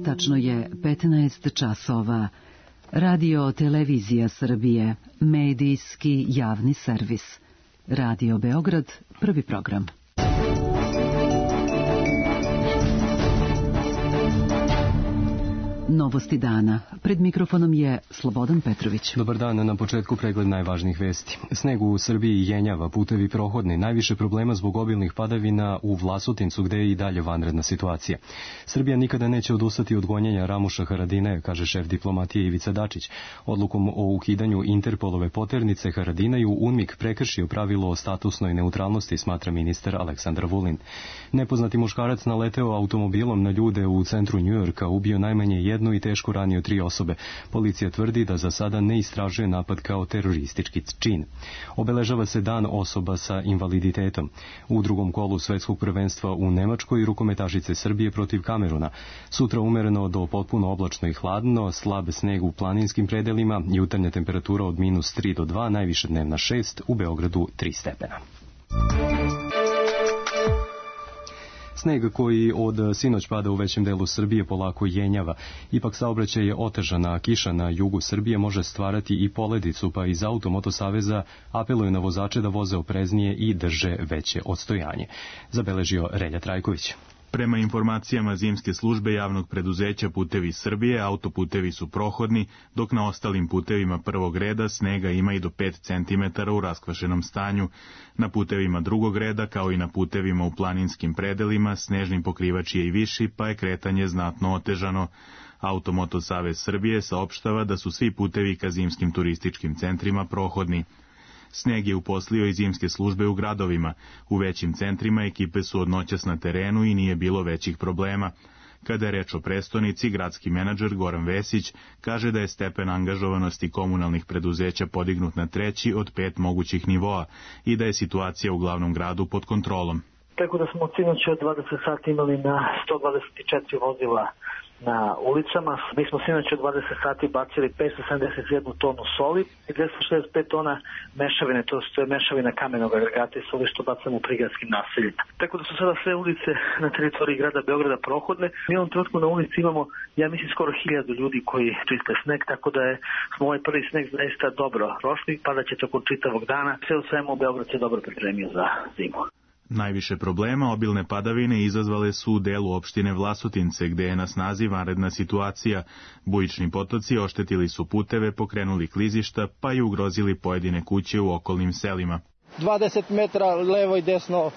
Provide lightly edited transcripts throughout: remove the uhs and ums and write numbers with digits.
Tačno je 15 časova. Radio Televizija Srbije, medijski javni servis. Radio Beograd, prvi program. Novosti dana. Pred mikrofonom je Slobodan Petrović. Dobar dan, na početku pregled najvažnijih vesti. Sneg u Srbiji jenjava, putevi prohodni, najviše problema zbog obilnih padavina u Vlasotincu, gde je i dalje vanredna situacija. Srbija nikada neće odustati od gonjenja Ramuša Haradinaja, kaže šef diplomatije Ivica Dačić. Odlukom o ukidanju Interpolove poternice Haradinaju UNMIK prekršio pravilo o statusnoj neutralnosti, smatra ministar Aleksandar Vulin. Nepoznati muškarac naleteo automobilom na ljude u centru Njujorka, ubio najmanje jednu i teško ranio 3 osobe. Policija tvrdi da za sada ne istražuje napad kao teroristički čin. Obeležava se dan osoba sa invaliditetom. U drugom kolu svetskog prvenstva u Nemačkoj rukometašice Srbije protiv Kameruna. Sutra umereno do potpuno oblačno i hladno, slab sneg u planinskim predelima, jutarnja temperatura od -3 do 2, najviše dnevna 6, u Beogradu 3 stepena. Sneg koji od sinoć pada u većem delu Srbije polako jenjava. Ipak saobraćaj je otežan, a kiša na jugu Srbije može stvarati i poledicu, pa iz Automoto saveza apeluju na vozače da voze opreznije i drže veće odstojanje. Zabeležio Relja Trajković. Prema informacijama zimske službe javnog preduzeća Putevi Srbije, autoputevi su prohodni, dok na ostalim putevima prvog reda snega ima i do 5 cm u raskvašenom stanju. Na putevima drugog reda, kao i na putevima u planinskim predelima, snežni pokrivač je i viši, pa je kretanje znatno otežano. Automoto savez Srbije saopštava da su svi putevi ka zimskim turističkim centrima prohodni. Sneg je uposlio i zimske službe u gradovima. U većim centrima ekipe su od noćas na terenu i nije bilo većih problema. Kada je reč o prestonici, gradski menadžer Goran Vesić kaže da je stepen angažovanosti komunalnih preduzeća podignut na 3 od 5 mogućih nivoa i da je situacija u glavnom gradu pod kontrolom. Tako da smo od sinoća od 20 sati imali na 124 vozila na ulicama. Mi smo sinoć od 20 sati bacili 571 tonu soli i 265 tona mešavine, to je mešavina kamenog agregata i soli što bacamo u prigradskim naseljima. Tako da su sada sve ulice na teritoriji grada Beograda prohodne. Mi u ovom trenutku na ulici imamo, ja mislim, skoro 1000 ljudi koji čiste sneg, tako da smo ovaj prvi sneg zaista dobro prošli, padaće tokom čitavog dana. Sve u svemu Beograd se dobro pripremio za zimu. Najviše problema obilne padavine izazvale su u delu opštine Vlasotince, gde je na snazi vanredna situacija. Bujični potoci oštetili su puteve, pokrenuli klizišta, pa i ugrozili pojedine kuće u okolnim selima. 20 metra levo i desno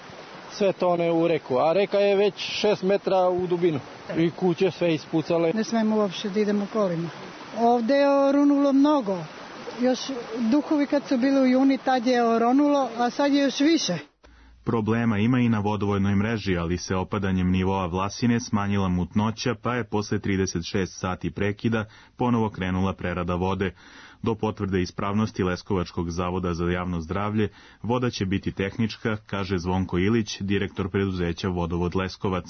sve tone u reku, a reka je već 6 metra u dubinu i kuće sve ispucale. Ne smemo uopšte da idemo kolima. Ovde je orunulo mnogo. Još duhovi kad su bili u juni, tad je oronulo, a sad je još više. Problema ima i na vodovodnoj mreži, ali se opadanjem nivoa Vlasine smanjila mutnoća, pa je posle 36 sati prekida ponovo krenula prerada vode. Do potvrde ispravnosti Leskovačkog zavoda za javno zdravlje, voda će biti tehnička, kaže Zvonko Ilić, direktor preduzeća Vodovod Leskovac.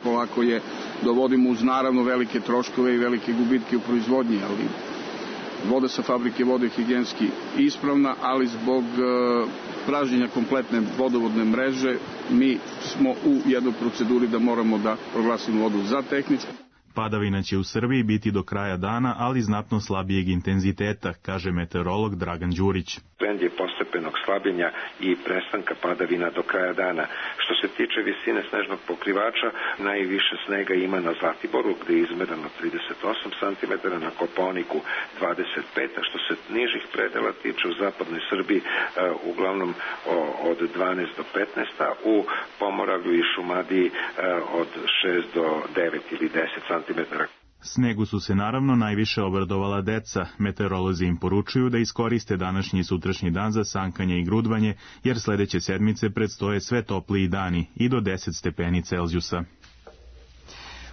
Polako je dovodimo uz naravno velike troškove i velike gubitke u proizvodnji, ali voda sa fabrike vode je higijenski ispravna, ali zbog pražnjenja kompletne vodovodne mreže mi smo u jednoj proceduri da moramo da proglasimo vodu za tehničku. Padavina će u Srbiji biti do kraja dana, ali znatno slabijeg intenziteta, kaže meteorolog Dragan Đurić. Trend je postepenog slabljenja i prestanka padavina do kraja dana. Što se tiče visine snežnog pokrivača, najviše snega ima na Zlatiboru, gde je izmereno 38 cm, na Kopaoniku 25, a što se nižih predela tiče u zapadnoj Srbiji, uglavnom od 12 do 15, a u Pomoravlju i Šumadiji od 6 do 9 ili 10 cm. Snegu su se naravno najviše obradovala deca. Meteorolozi im poručuju da iskoriste današnji i sutrašnji dan za sankanje i grudvanje, jer sledeće sedmice predstoje sve topliji dani i do 10 stepeni Celzijusa.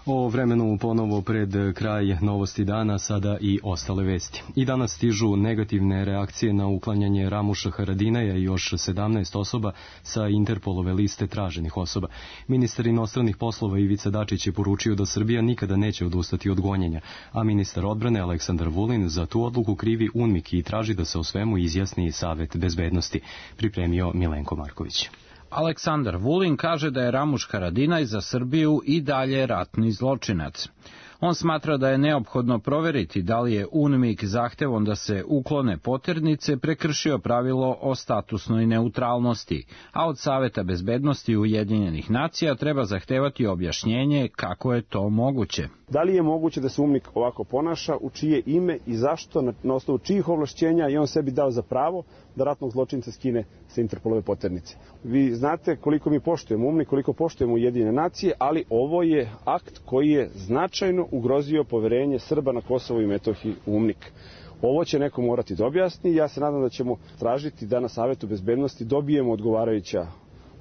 O vremenu ponovo pred kraj novosti dana, sada i ostale vesti. I danas stižu negativne reakcije na uklanjanje Ramuša Haradinaja i još 17 osoba sa Interpolove liste traženih osoba. Ministar inostranih poslova Ivica Dačić je poručio da Srbija nikada neće odustati od gonjenja, a ministar odbrane Aleksandar Vulin za tu odluku krivi UNMIK i traži da se o svemu izjasni Savet bezbednosti, pripremio Milenko Marković. Aleksandar Vulin kaže da je Ramuš Haradinaj za Srbiju i dalje ratni zločinac. On smatra da je neophodno proveriti da li je UNMIK zahtevom da se uklone poternice prekršio pravilo o statusnoj neutralnosti, a od Saveta bezbednosti Ujedinjenih nacija treba zahtevati objašnjenje kako je to moguće. Da li je moguće da se UNMIK ovako ponaša, u čije ime i zašto, na osnovu čijih ovlašćenja je on sebi dao za pravo da ratnog zločinca skine sa Interpolove poternice. Vi znate koliko mi poštujemo UNMIK, koliko poštujemo Ujedinjene nacije, ali ovo je akt koji je značajno ugrozio poverenje Srba na Kosovu i Metohiji u UNMIK. Ovo će neko morati da objasni. Ja se nadam da ćemo tražiti da na Savetu bezbednosti dobijemo odgovarajuća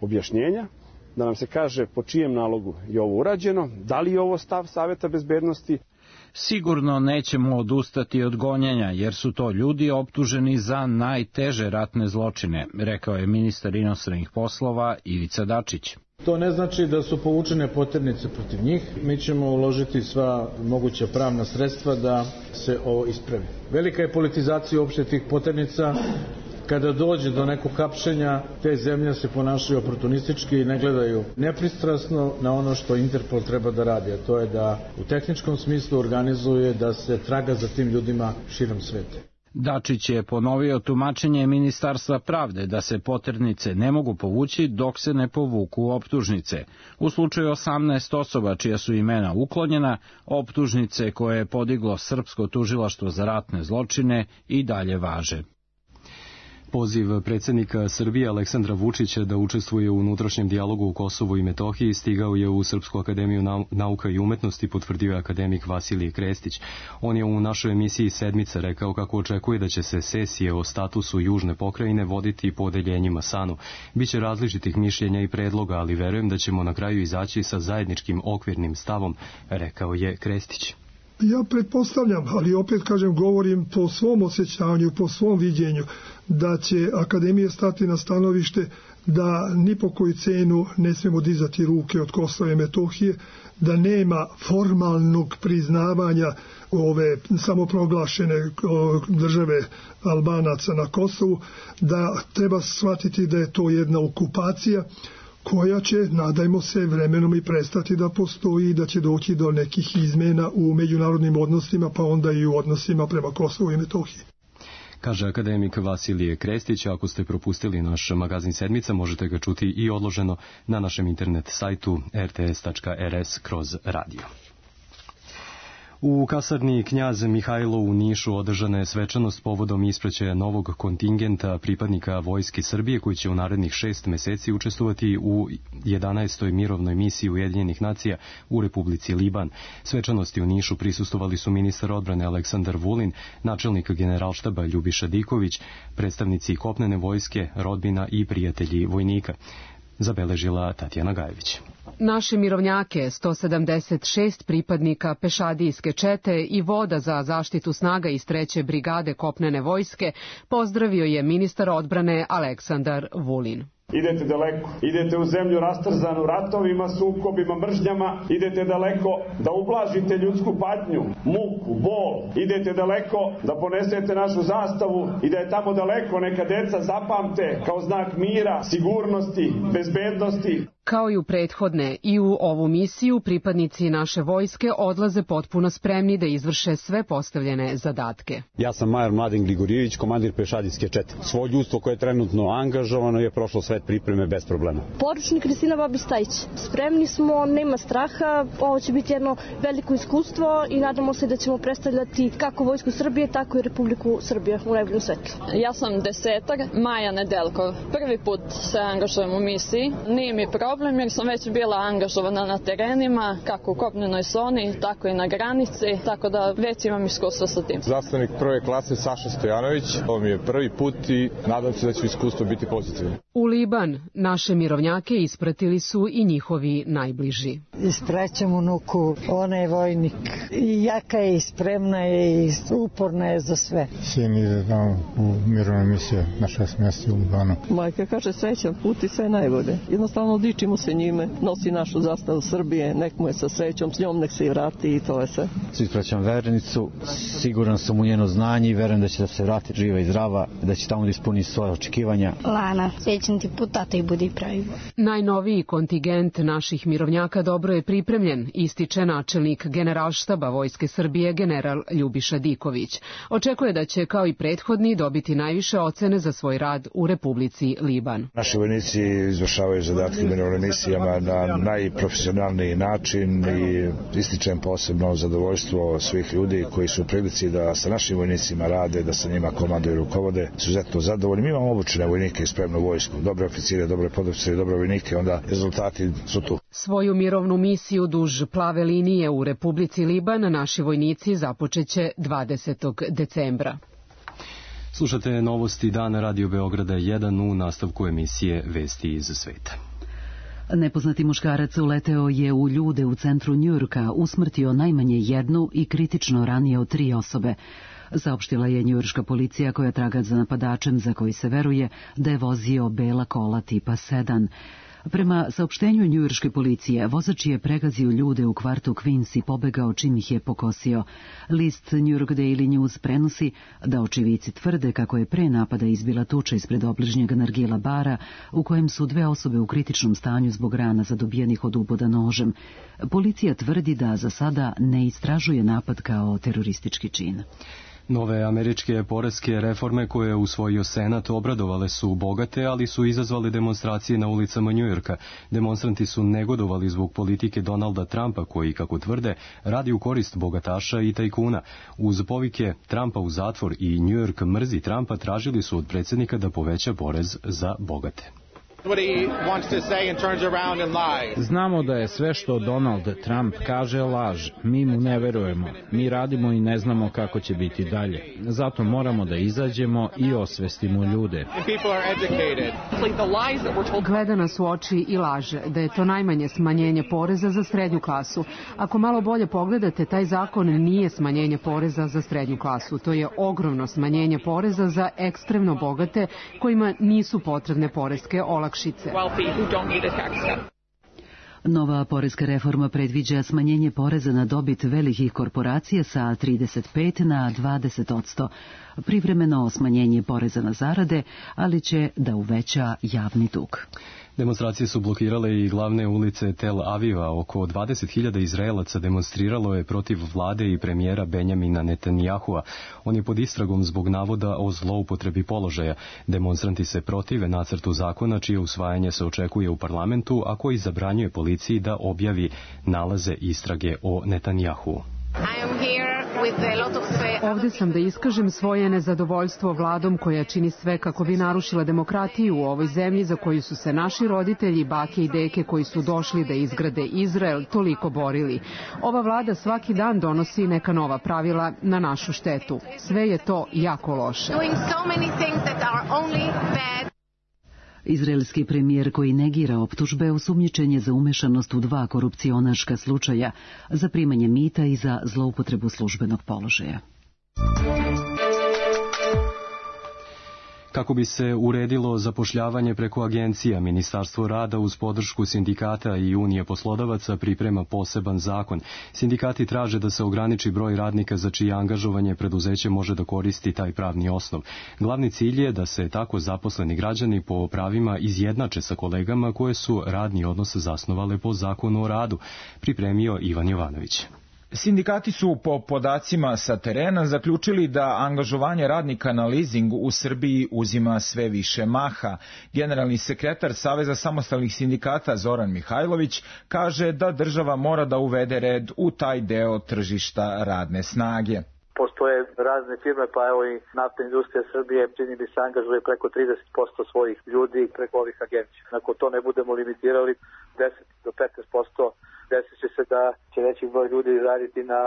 objašnjenja, da nam se kaže po čijem nalogu je ovo urađeno, da li je ovo stav Saveta bezbednosti. Sigurno nećemo odustati od gonjenja, jer su to ljudi optuženi za najteže ratne zločine, rekao je ministar inostranih poslova Ivica Dačić. To ne znači da su povučene poternice protiv njih. Mi ćemo uložiti sva moguća pravna sredstva da se ovo ispravi. Velika je politizacija uopšte tih poternica. Kada dođe do nekog hapšenja, te zemlje se ponašaju oportunistički i ne gledaju nepristrasno na ono što Interpol treba da radi, a to je da u tehničkom smislu organizuje da se traga za tim ljudima širom sveta. Dačić je ponovio tumačenje Ministarstva pravde da se poternice ne mogu povući dok se ne povuku optužnice. U slučaju 18 osoba čija su imena uklonjena, optužnice koje je podiglo Srpsko tužilaštvo za ratne zločine i dalje važe. Poziv predsjednika Srbije Aleksandra Vučića da učestvuje u unutrašnjem dijalogu u Kosovu i Metohiji stigao je u Srpsku akademiju nauka i umetnosti, potvrdio je akademik Vasilije Krestić. On je u našoj emisiji Sedmica rekao kako očekuje da će se sesije o statusu južne pokrajine voditi po odeljenjima SANU. Biće različitih mišljenja i predloga, ali verujem da ćemo na kraju izaći sa zajedničkim okvirnim stavom, rekao je Krestić. Ja pretpostavljam, ali opet kažem, govorim po svom osjećanju, po svom viđenju, da će Akademija stati na stanovište da ni po koju cenu ne smijemo dizati ruke od Kosova i Metohije, da nema formalnog priznavanja ove samoproglašene države Albanaca na Kosovu, da treba shvatiti da je to jedna okupacija koja će, nadajmo se, vremenom i prestati da postoji i da će doći do nekih izmena u međunarodnim odnosima, pa onda i u odnosima prema Kosovu i Metohiji. Kaže akademik Vasilije Krestić. Ako ste propustili naš magazin Sedmica, možete ga čuti i odloženo na našem internet sajtu rts.rs/radio. U kasarni Knjaz Mihajlo u Nišu održana je svečanost povodom ispraćaja novog kontingenta pripadnika Vojske Srbije koji će u narednih 6 meseci učestvovati u 11. mirovnoj misiji Ujedinjenih nacija u Republici Liban. Svečanosti u Nišu prisustvovali su ministar odbrane Aleksandar Vulin, načelnik Generalštaba Ljubiša Diković, predstavnici kopnene vojske, rodbina i prijatelji vojnika. Zabeležila Tatjana Gajević. Naše mirovnjake, 176 pripadnika pešadijske čete i voda za zaštitu snaga iz 3. brigade kopnene vojske, pozdravio je ministar odbrane Aleksandar Vulin. Idete daleko, idete u zemlju rastrzanu ratovima, sukobima, mržnjama, idete daleko da ublažite ljudsku patnju, muku, bol, idete daleko da ponesete našu zastavu i da je tamo daleko neka deca zapamte kao znak mira, sigurnosti, bezbednosti. Kao i u prethodne, i u ovu misiju pripadnici naše vojske odlaze potpuno spremni da izvrše sve postavljene zadatke. Ja sam major Mladen Gligorijević, komandir pešadijske čete. Svo ljudstvo koje je trenutno angažovano je prošlo sve pripreme bez problema. Poručnik Kristina Babistajić. Spremni smo, nema straha, ovo će biti jedno veliko iskustvo i nadamo se da ćemo predstavljati kako Vojsku Srbije, tako i Republiku Srbije u najboljem svetlu. Ja sam desetar, Maja Nedeljkov. Prvi put se angažujem u misiji, nije mi problem jer sam već bila angažovana na terenima, kako u kopnenoj zoni, tako i na granici, tako da već imam iskustvo sa tim. Zastavnik prve klase Saša Stojanović, ovo mi je prvi put i nadam se da će iskustvo biti pozitivno. U Liban naše mirovnjake ispratili su i njihovi najbliži. Ispraćam unuku, ona je vojnik i jaka je i spremna je i uporna je za sve. Sin ide tamo u mirovnu misiju na 6 mjeseci u Libanu. Majka kaže srećan put i sve najbolje. Jednostavno dičim dičimo se njime, nosi našu zastavu Srbije, nek mu je sa srećom, s njom nek se i vrati i to je sve. Ispraćam verenicu, siguran sam u njeno znanje i verujem da će da se vrati živa i zdrava, da će tamo da ispuni svoje očekivanja. Lana, srećan ti put, tata i budi pravi. Najnoviji kontingent naših mirovnjaka dobro je pripremljen, ističe načelnik Generalštaba Vojske Srbije general Ljubiša Diković. Očekuje da će kao i prethodni dobiti najviše ocene za svoj rad u Republici Liban. Naši vojnici izvršavaju zadatke u mirovnim misijama na najprofesionalniji način i ističem posebno zadovoljstvo svih ljudi koji su u prilici da sa našim vojnicima rade, da sa njima komanduju i rukovode. Izuzetno zadovoljni. Mi imamo obučene vojnike i spremnu vojsku, dobre oficire, dobre podoficire, dobre vojnike, onda rezultati su tu. Svoju mirovnu misiju duž plave linije u Republici Liban naši vojnici započeće 20. decembra. Slušate novosti Dana Radio Beograda 1 u nastavku emisije Vesti iz sveta. Nepoznati muškarac uleteo je u ljude u centru Njujorka, usmrtio najmanje jednu i kritično ranio 3 osobe. Saopštila je njujorška policija koja traga za napadačem za koji se veruje da je vozio bela kola tipa sedan. Prema saopštenju njujorške policije, vozač je pregazio ljude u kvartu Queens i pobegao čim ih je pokosio. List New York Daily News prenosi da očivici tvrde kako je pre napada izbila tuča ispred obližnjeg nargila bara u kojem su 2 osobe u kritičnom stanju zbog rana zadobijenih od uboda nožem. Policija tvrdi da za sada ne istražuje napad kao teroristički čin. Nove američke poreske reforme koje je usvojio Senat obradovale su bogate, ali su izazvale demonstracije na ulicama Njujorka. Demonstranti su negodovali zbog politike Donalda Trumpa koji, kako tvrde, radi u korist bogataša i tajkuna. Uz povike Trumpa u zatvor i Njujork mrzi Trumpa tražili su od predsjednika da poveća porez za bogate. Znamo da je sve što Donald Trump kaže laž. Mi mu ne verujemo. Mi radimo i ne znamo kako će biti dalje. Zato moramo da izađemo i osvestimo ljude. Gleda nas u oči i laže da je to najmanje smanjenje poreza za srednju klasu. Ako malo bolje pogledate, taj zakon nije smanjenje poreza za srednju klasu. To je ogromno smanjenje poreza za ekstremno bogate kojima nisu potrebne poreske olakšice. Nova poreska reforma predviđa smanjenje poreza na dobit velikih korporacija sa 35 na 20%, privremeno smanjenje poreza na zarade, ali će da uveća javni dug. Demonstracije su blokirale i glavne ulice Tel Aviva. Oko 20.000 Izraelaca demonstriralo je protiv vlade i premijera Benjamina Netanjahua. On je pod istragom zbog navoda o zloupotrebi položaja. Demonstranti se protive nacrtu zakona čije usvajanje se očekuje u parlamentu, a koji zabranjuje policiji da objavi nalaze istrage o Netanjahuu. Ovdje sam da iskažem svoje nezadovoljstvo vladom koja čini sve kako bi narušila demokratiju u ovoj zemlji za koju su se naši roditelji, bake i deke koji su došli da izgrade Izrael toliko borili. Ova vlada svaki dan donosi neka nova pravila na našu štetu. Sve je to jako loše. Izraelski premijer koji negira optužbe osumnjičen je za umešanost u 2 korupcionaška slučaja, za primanje mita i za zloupotrebu službenog položaja. Kako bi se uredilo zapošljavanje preko agencija, Ministarstvo rada uz podršku sindikata i Unije poslodavaca priprema poseban zakon. Sindikati traže da se ograniči broj radnika za čije angažovanje preduzeće može da koristi taj pravni osnov. Glavni cilj je da se tako zaposleni građani po pravima izjednače sa kolegama koje su radni odnos zasnovale po zakonu o radu, pripremio Ivan Jovanović. Sindikati su po podacima sa terena zaključili da angažovanje radnika na leasing u Srbiji uzima sve više maha. Generalni sekretar Saveza samostalnih sindikata Zoran Mihajlović kaže da država mora da uvede red u taj deo tržišta radne snage. Postoje razne firme, pa evo i naftna industrija Srbije čini mi se angažuje preko 30% svojih ljudi preko ovih agencija. Ako to ne budemo limitirali, 10 do 15% desit će se da će veći broj ljudi raditi na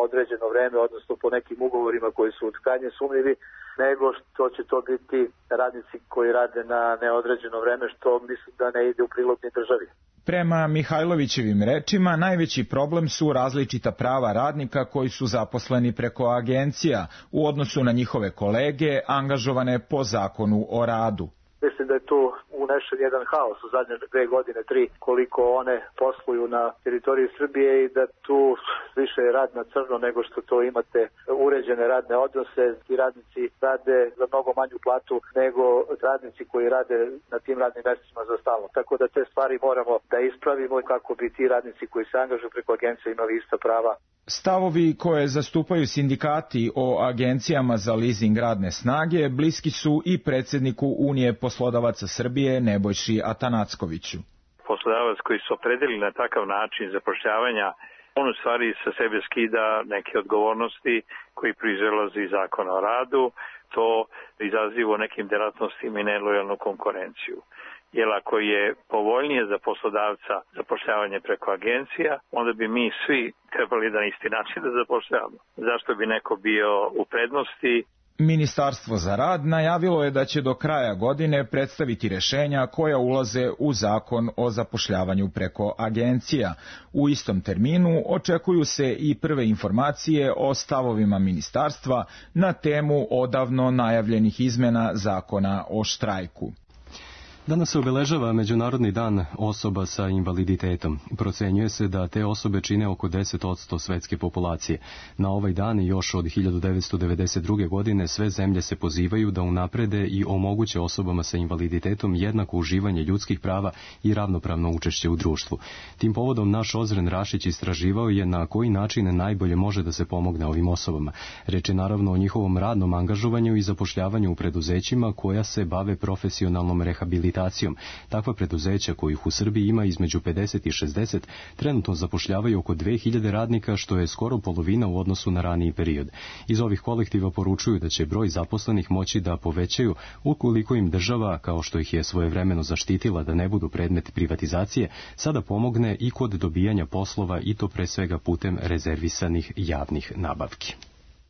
određeno vreme, odnosno po nekim ugovorima koji su krajnje sumnjivi, nego što će to biti radnici koji rade na neodređeno vreme, što mislim da ne ide u prilog ni državi. Prema Mihajlovićevim rečima, najveći problem su različita prava radnika koji su zaposleni preko agencija u odnosu na njihove kolege angažovane po zakonu o radu. Mislim da je tu unešen jedan haos u zadnje 2 godine, 3, koliko one posluju na teritoriji Srbije i da tu više je rad na crno nego što to imate uređene radne odnose. Ti radnici rade za mnogo manju platu nego radnici koji rade na tim radnim mestima za stalno. Tako da te stvari moramo da ispravimo i kako bi ti radnici koji se angažuju preko agencije imali ista prava. Stavovi koje zastupaju sindikati o agencijama za leasing radne snage bliski su i predsjedniku Unije poslodavaca Srbije Nebojši Atanackoviću. Poslodavac koji se opredeli na takav način zapošljavanja, on u stvari sa sebe skida neke odgovornosti koji proizilaze iz zakona o radu, to izaziva u nekim delatnostima i nelojalnu konkurenciju. Jer ako je povoljnije za poslodavca zapošljavanje preko agencija, onda bi mi svi trebali na isti način da zapošljavamo. Zašto bi neko bio u prednosti? Ministarstvo za rad najavilo je da će do kraja godine predstaviti rješenja koja ulaze u zakon o zapošljavanju preko agencija. U istom terminu očekuju se i prve informacije o stavovima ministarstva na temu odavno najavljenih izmena zakona o štrajku. Danas se obeležava Međunarodni dan osoba sa invaliditetom. Procenjuje se da te osobe čine oko 10% svetske populacije. Na ovaj dan još od 1992. godine sve zemlje se pozivaju da unaprede i omoguće osobama sa invaliditetom jednako uživanje ljudskih prava i ravnopravno učešće u društvu. Tim povodom naš Ozren Rašić istraživao je na koji način najbolje može da se pomogne ovim osobama. Reč je naravno o njihovom radnom angažovanju i zapošljavanju u preduzećima koja se bave profesionalnom rehabilitacijom. Takva preduzeća kojih u Srbiji ima između 50 i 60 trenutno zapošljavaju oko 2000 radnika, što je skoro polovina u odnosu na raniji period. Iz ovih kolektiva poručuju da će broj zaposlenih moći da povećaju ukoliko im država, kao što ih je svojevremeno zaštitila da ne budu predmet privatizacije, sada pomogne i kod dobijanja poslova i to pre svega putem rezervisanih javnih nabavki.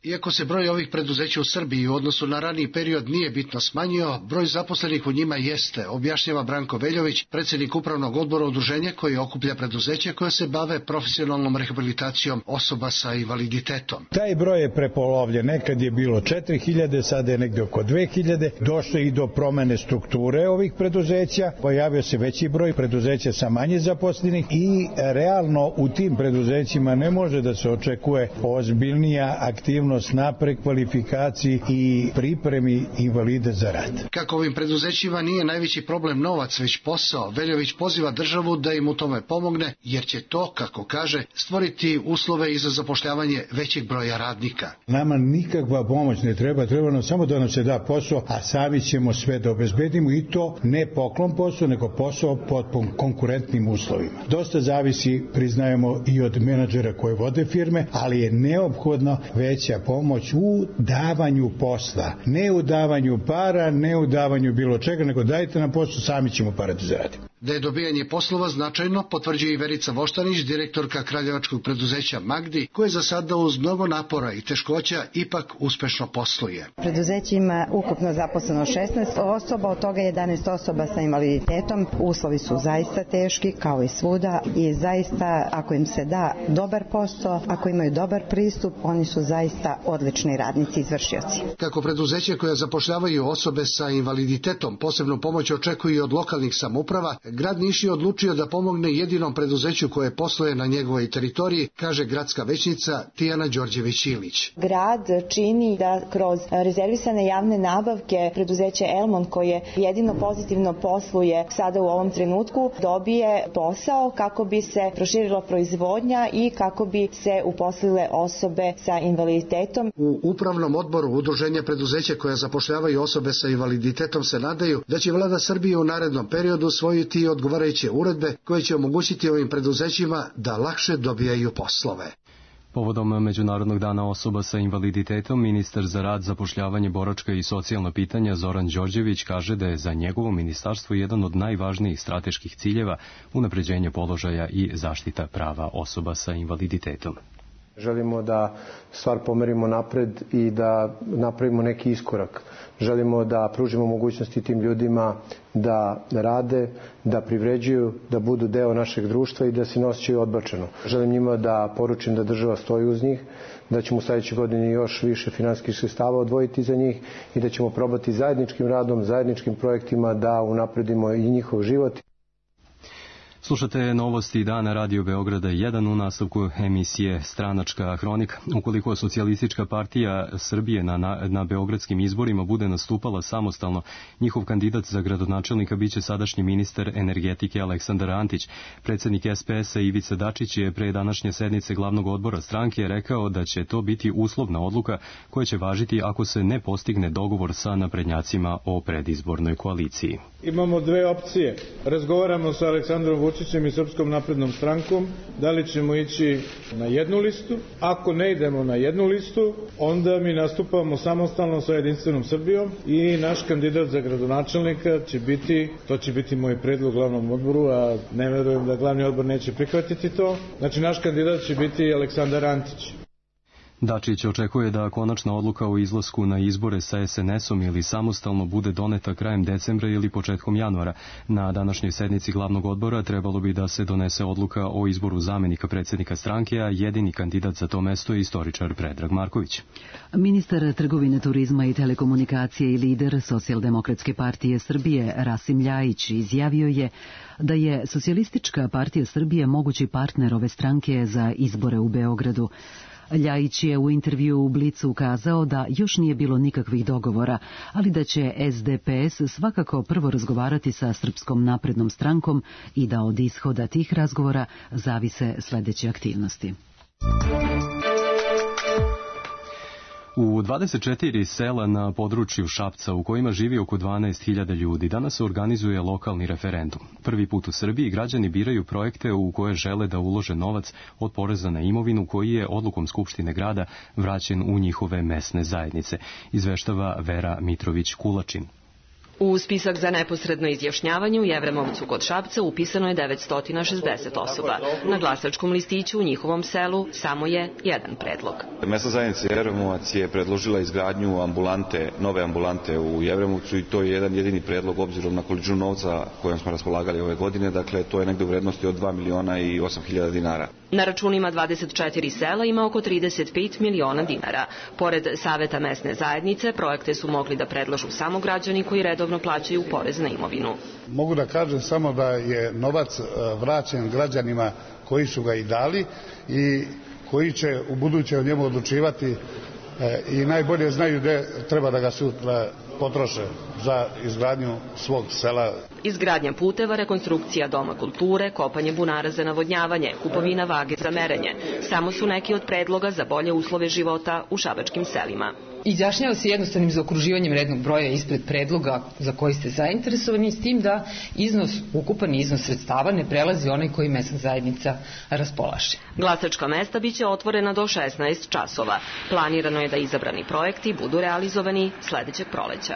Iako se broj ovih preduzeća u Srbiji u odnosu na raniji period nije bitno smanjio, broj zaposlenih u njima jeste, objašnjava Branko Veljović, predsjednik upravnog odbora udruženja koji okuplja preduzeća koje se bave profesionalnom rehabilitacijom osoba sa invaliditetom. Taj broj je prepolovljen, nekad je bilo 4000, sada je negde oko 2000, došlo i do promene strukture ovih preduzeća, pojavio se veći broj preduzeća sa manje zaposlenih i realno u tim preduzećima ne može da se očekuje ozbiljnija aktivnost na prekvalifikaciji i pripremi invalida za rad. Kako ovim preduzećima nije najveći problem novac, već posao, Veljović poziva državu da im u tome pomogne, jer će to, kako kaže, stvoriti uslove i za zapošljavanje većeg broja radnika. Nama nikakva pomoć ne treba, treba nam samo da nam se da posao, a sami ćemo sve da obezbedimo i to ne poklon posao, nego posao pod konkurentnim uslovima. Dosta zavisi, priznajemo, i od menadžera koje vode firme, ali je neophodno veća pomoć u davanju posla, ne u davanju para, ne u davanju bilo čega, nego dajte nam posao, sami ćemo pare da zaradimo. Da je dobijanje poslova značajno, potvrđuje i Verica Voštanić, direktorka kraljevačkog preduzeća Magdi, koje za sada uz mnogo napora i teškoća ipak uspešno posluje. Preduzeće ima ukupno zaposleno 16 osoba, od toga 11 osoba sa invaliditetom. Uslovi su zaista teški, kao i svuda, i zaista, ako im se da dobar posao, ako imaju dobar pristup, oni su zaista odlični radnici, izvršioci. Kako preduzeće koja zapošljavaju osobe sa invaliditetom posebnu pomoć očekuju od lokalnih samouprava, grad Niš je odlučio da pomogne jedinom preduzeću koje posluje na njegovoj teritoriji, kaže gradska većnica Tijana Đorđević-Ilić. Grad čini da kroz rezervisane javne nabavke preduzeće Elmont, koje jedino pozitivno posluje sada u ovom trenutku, dobije posao kako bi se proširila proizvodnja i kako bi se uposlile osobe sa invaliditetom. U upravnom odboru udruženja preduzeća koja zapošljavaju osobe sa invaliditetom se nadaju da će vlada Srbije u narednom periodu usvojiti odgovarajuće uredbe koje će omogućiti ovim preduzećima da lakše dobijaju poslove. Povodom Međunarodnog dana osoba sa invaliditetom, ministar za rad, zapošljavanje, boračka i socijalna pitanja Zoran Đorđević kaže da je za njegovo ministarstvo jedan od najvažnijih strateških ciljeva unapređenje položaja i zaštita prava osoba sa invaliditetom. Želimo da stvar pomerimo napred i da napravimo neki iskorak. Želimo da pružimo mogućnosti tim ljudima da rade, da privređuju, da budu deo našeg društva i da se ne osjećaju odbačeno. Želim njima da poručim da država stoji uz njih, da ćemo u sledećoj godini još više finansijskih sredstava odvojiti za njih i da ćemo probati zajedničkim radom, zajedničkim projektima da unapredimo i njihov život. Slušate novosti dana Radio Beograda 1 u nastavku emisije Stranačka hronika. Ukoliko Socijalistička partija Srbije na beogradskim izborima bude nastupala samostalno, njihov kandidat za gradonačelnika biće sadašnji ministar energetike Aleksandar Antić. Predsednik SPS-a Ivica Dačić je pre današnje sednice glavnog odbora stranke rekao da će to biti uslovna odluka koja će važiti ako se ne postigne dogovor sa naprednjacima o predizbornoj koaliciji. Imamo dve opcije. Razgovaramo sa Aleksandrom Vučićem i Srpskom naprednom strankom, da li ćemo ići na jednu listu. Ako ne idemo na jednu listu, onda mi nastupamo samostalno sa Jedinstvenom Srbijom i naš kandidat za gradonačelnika će biti moj predlog glavnom odboru, a ne verujem da glavni odbor neće prihvatiti to. Znači, naš kandidat će biti Aleksandar Antić. Dačić očekuje da konačna odluka o izlasku na izbore sa SNS-om ili samostalno bude doneta krajem decembra ili početkom januara. Na današnjoj sednici glavnog odbora trebalo bi da se donese odluka o izboru zamenika predsjednika stranke, a jedini kandidat za to mesto je istoričar Predrag Marković. Ministar trgovine, turizma i telekomunikacije i lider Socijaldemokratske partije Srbije Rasim Ljajić izjavio je da je Socijalistička partija Srbije mogući partner ove stranke za izbore u Beogradu. Ljajić je u intervju u Blicu ukazao da još nije bilo nikakvih dogovora, ali da će SDPS svakako prvo razgovarati sa Srpskom naprednom strankom i da od ishoda tih razgovora zavise sledeće aktivnosti. U 24 sela na području Šapca, u kojima živi oko 12.000 ljudi, danas se organizuje lokalni referendum. Prvi put u Srbiji građani biraju projekte u koje žele da ulože novac od poreza na imovinu koji je odlukom Skupštine grada vraćen u njihove mesne zajednice, izveštava Vera Mitrović-Kulačin. U spisak za neposredno izjašnjavanje u Jevremovcu kod Šapca upisano je 960 osoba. Na glasačkom listiću u njihovom selu samo je jedan predlog. Mesna zajednica Jevremovac je predložila izgradnju nove ambulante u Jevremovcu i to je jedan jedini predlog obzirom na količinu novca kojom smo raspolagali ove godine. Dakle, to je negde u vrednosti od 2 miliona i 8.000 dinara. Na računima 24 sela ima oko 35 miliona dinara. Pored Saveta mesne zajednice, projekte su mogli da predložu samo građani koji redovno plaćaju porez na imovinu. Mogu da kažem samo da je novac vraćen građanima koji su ga i dali i koji će u buduće o njemu odlučivati i najbolje znaju gde treba da ga sutra potroše za izgradnju svog sela. Izgradnja puteva, rekonstrukcija doma kulture, kopanje bunara za navodnjavanje, kupovina vage za merenje, samo su neki od predloga za bolje uslove života u šabačkim selima. Izjašnjava se jednostavnim zaokruživanjem rednog broja ispred predloga za koji ste zainteresovani, s tim da ukupan iznos sredstava ne prelazi onaj koji mesna zajednica raspolaže. Glasačka mesta biće otvorena do 16 časova. Planirano je da izabrani projekti budu realizovani sledećeg proleća.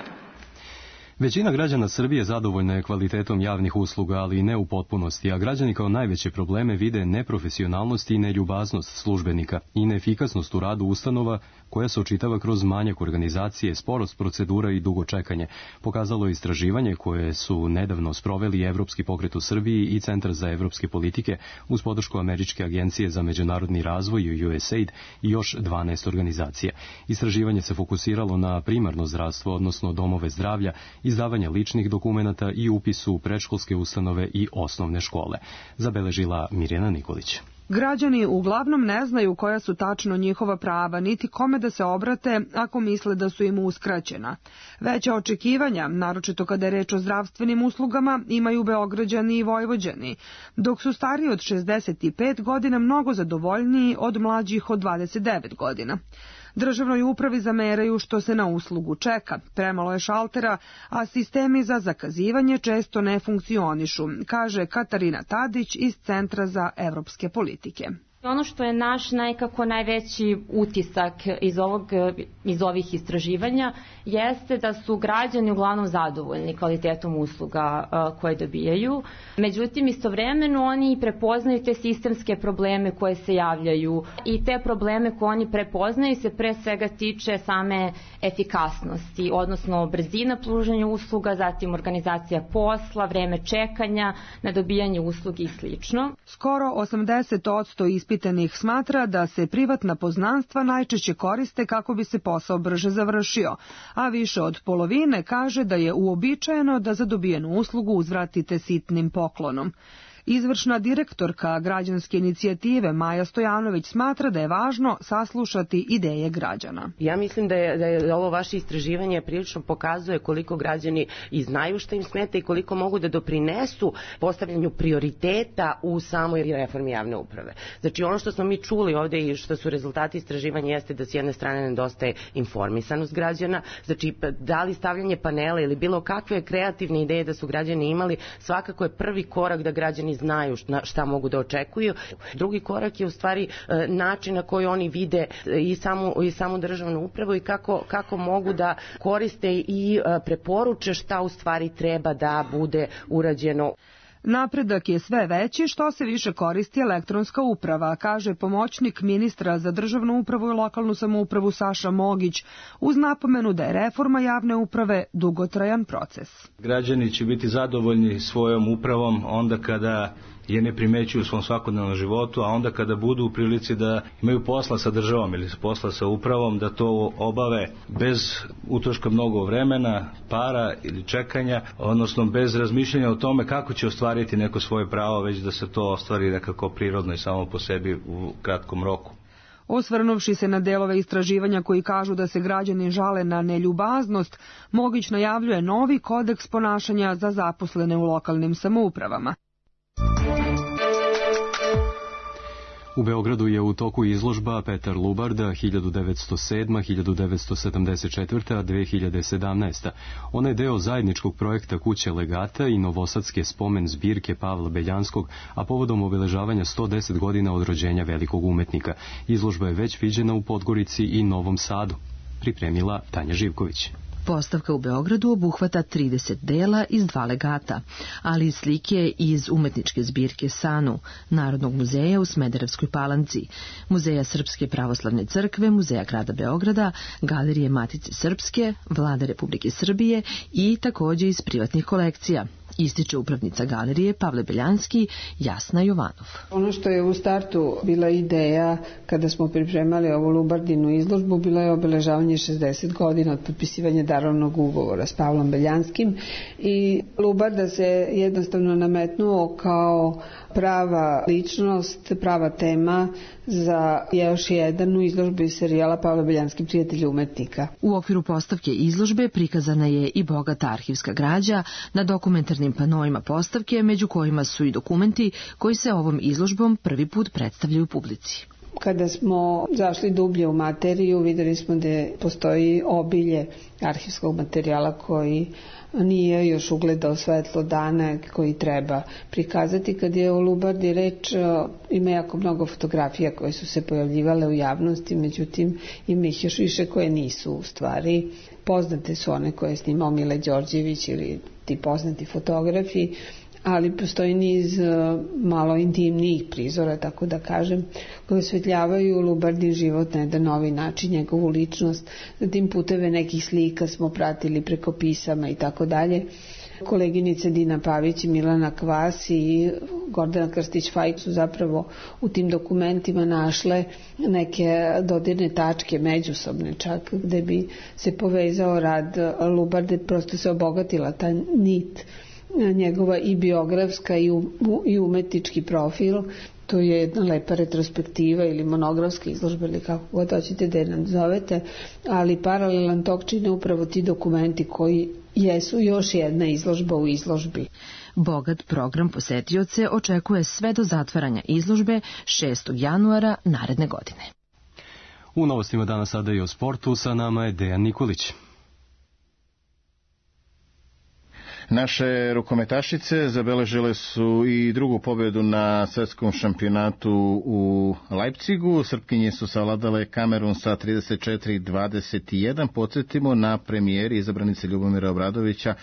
Većina građana Srbije zadovoljna je kvalitetom javnih usluga, ali i ne u potpunosti, a građani kao najveće probleme vide neprofesionalnost i neljubaznost službenika i neefikasnost u radu ustanova koja se očitava kroz manjak organizacije, sporost procedura i dugo čekanje. Pokazalo je istraživanje koje su nedavno sproveli Evropski pokret u Srbiji i Centar za evropske politike uz podršku Američke agencije za međunarodni razvoj USAID i još 12 organizacija. Istraživanje se fokusiralo na primarno zdravstvo, odnosno domove zdravlja, izdavanje ličnih dokumenata i upisu u predškolske ustanove i osnovne škole, zabeležila Mirjana Nikolić. Građani uglavnom ne znaju koja su tačno njihova prava, niti kome da se obrate ako misle da su im uskraćena. Veća očekivanja, naročito kada je reč o zdravstvenim uslugama, imaju Beograđani i Vojvođani, dok su stariji od 65 godina mnogo zadovoljniji od mlađih od 29 godina. Državnoj upravi zameraju što se na uslugu čeka, premalo je šaltera, a sistemi za zakazivanje često ne funkcionišu, kaže Katarina Tadić iz Centra za evropske politike. Ono što je naš nekako najveći utisak iz ovih istraživanja jeste da su građani uglavnom zadovoljni kvalitetom usluga koje dobijaju. Međutim, istovremeno oni prepoznaju te sistemske probleme koje se javljaju i te probleme koje oni prepoznaju se pre svega tiče same efikasnosti, odnosno brzina pružanja usluga, zatim organizacija posla, vreme čekanja na dobijanje usluge i sl. Skoro 80% ispitanih smatra da se privatna poznanstva najčešće koriste kako bi se posao brže završio, a više od polovine kaže da je uobičajeno da za dobijenu uslugu uzvratite sitnim poklonom. Izvršna direktorka građanske inicijative Maja Stojanović smatra da je važno saslušati ideje građana. Ja mislim da je ovo vaše istraživanje prilično pokazuje koliko građani i znaju šta im smeta i koliko mogu da doprinesu postavljanju prioriteta u samoj reformi javne uprave. Znači ono što smo mi čuli ovde i što su rezultati istraživanja jeste da s jedne strane nedostaje informisanost građana, znači da li stavljanje panela ili bilo kakve kreativne ideje da su građani imali, svakako je prvi korak da građani znaju šta mogu da očekuju. Drugi korak je u stvari način na koji oni vide i samu državnu upravu i kako mogu da koriste i preporuče šta u stvari treba da bude urađeno. Napredak je sve veći što se više koristi elektronska uprava, kaže pomoćnik ministra za državnu upravu i lokalnu samoupravu Saša Mogić, uz napomenu da je reforma javne uprave dugotrajan proces. Građani će biti zadovoljni svojom upravom onda kada je ne primećuju u svom svakodnevnom životu, a onda kada budu u prilici da imaju posla sa državom ili posla sa upravom, da to obave bez utroška mnogo vremena, para ili čekanja, odnosno bez razmišljanja o tome kako će ostvariti neko svoje pravo, već da se to ostvari nekako prirodno i samo po sebi u kratkom roku. Osvrnuvši se na delove istraživanja koji kažu da se građani žale na neljubaznost, Mogić najavljuje novi kodeks ponašanja za zaposlene u lokalnim samoupravama. U Beogradu je u toku izložba Petar Lubarda 1907, 1974, 2017. Ona je deo zajedničkog projekta Kuće legata i novosadske spomen zbirke Pavla Beljanskog, a povodom obeležavanja 110 godina od rođenja velikog umetnika. Izložba je već viđena u Podgorici i Novom Sadu. Pripremila Tanja Živković. Postavka u Beogradu obuhvata 30 dela iz 2 legata, ali i slike iz umetničke zbirke Sanu, Narodnog muzeja u Smederevskoj Palanci, Muzeja Srpske pravoslavne crkve, Muzeja grada Beograda, Galerije Matice Srpske, Vlade Republike Srbije i takođe iz privatnih kolekcija, ističe upravnica galerije Pavle Beljanski, Jasna Jovanov. Ono što je u startu bila ideja kada smo pripremali ovu Lubardinu izložbu, bilo je obeležavanje 60 godina od potpisivanja darovnog ugovora s Pavlom Beljanskim i Lubarda se jednostavno nametnuo kao prava ličnost, prava tema za još jednu izložbu iz serijala Pavle Beljanski prijatelj umetnika. U okviru postavke izložbe prikazana je i bogata arhivska građa na dokumentarnim panoima postavke, među kojima su i dokumenti koji se ovom izložbom prvi put predstavljaju publici. Kada smo zašli dublje u materiju, videli smo da postoji obilje arhivskog materijala koji nije još ugledao svetlo dana, koji treba prikazati. Kad je o Lubardi reč, ima jako mnogo fotografija koje su se pojavljivale u javnosti, međutim ima ih još više koje nisu u stvari. Poznate su one koje je snimao Mile Đorđević ili ti poznati fotografi, ali postoji niz malo intimnijih prizora, tako da kažem, koje osvetljavaju Lubardin život na jedan novi način, njegovu ličnost. Zatim puteve nekih slika smo pratili preko pisama i tako dalje. Koleginice Dina Pavić i Milana Kvas i Gordana Krstić-Fajk su zapravo u tim dokumentima našle neke dodirne tačke, međusobne čak, gde bi se povezao rad Lubarde, prosto se obogatila ta nit njegova i biografska i umetnički profil. To je jedna lepa retrospektiva ili monografska izložba ili kako god hoćete da je nazovete, ali paralelan tok čine upravo ti dokumenti koji jesu još jedna izložba u izložbi. Bogat program posetioce očekuje sve do zatvaranja izložbe 6. januara naredne godine. U novostima danas sada i o sportu, sa nama je Dejan Nikolić. Naše rukometašice zabeležile su i drugu pobedu na svetskom šampionatu u Leipzigu. Srpkinje su savladale Kamerun sa 34-21. Podsjetimo, na premijeri izabranice Ljubomira Obradovića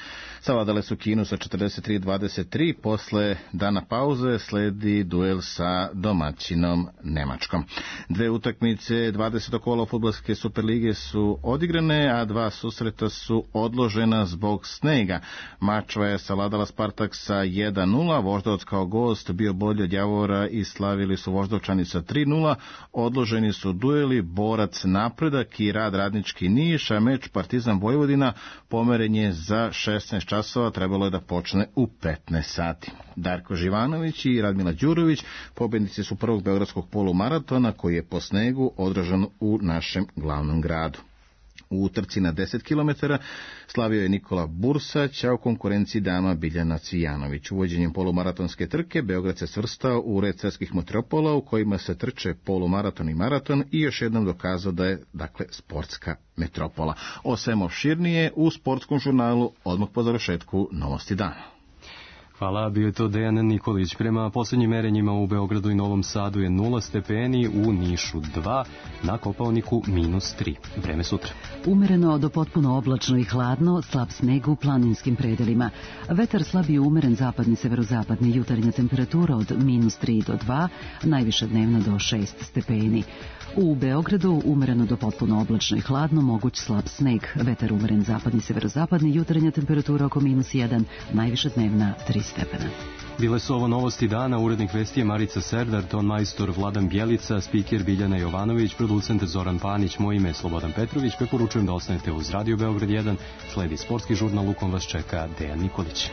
savladale su Kinu sa 43-23. Posle dana pauze sledi duel sa domaćinom Nemačkom. Dve utakmice 20. kola fudbalske Superlige su odigrane, a dva susreta su odložena zbog snega. Mačva je savladala Spartak sa 1-0, Voždovac kao gost bio bolji od Javora i slavili su Voždovčani sa 3-0. Odloženi su dueli Borac Napredak i Rad Radnički Niš, a meč Partizan Vojvodina pomeren je za 16 časova, trebalo je da počne u 15 sati. Darko Živanović i Radmila Đurović pobednici su prvog beogradskog polumaratona koji je po snegu održan u našem glavnom gradu. U trci na 10 km slavio je Nikola Bursać, a u konkurenciji dama Biljana Cvijanović. Uvođenjem polumaratonske trke Beograd se svrstao u red svetskih metropola u kojima se trče polumaraton i maraton i još jednom dokazao da je, dakle, sportska metropola. O svemu opširnije u sportskom žurnalu odmah po završetku Novosti dana. Hvala, bio je to Dejan Nikolić. Prema posljednjim merenjima u Beogradu i Novom Sadu je 0 stepeni, u Nišu 2, na Kopaoniku -3. Vreme sutra. Umereno do potpuno oblačno i hladno, slab sneg u planinskim predelima. Vetar slab i umeren zapadni severozapadni, jutarnja temperatura od -3 do 2, najviša dnevna do 6 stepeni. U Beogradu umereno do potpuno oblačno i hladno, moguć slab sneg, vetar umeren zapadni severozapadni, jutarnja temperatura oko -1, najviša dnevna 3 stepena. Bile su ovo Novosti dana, urednik vesti je Marica Serdar, ton majstor Vladan Bjelica, spiker Biljana Jovanović, producent Zoran Panić, moje ime je Slobodan Petrović, preporučujem da ostanete uz Radio Beograd 1, sledi sportski žurnal, u kom vas čeka Dejan Nikolić.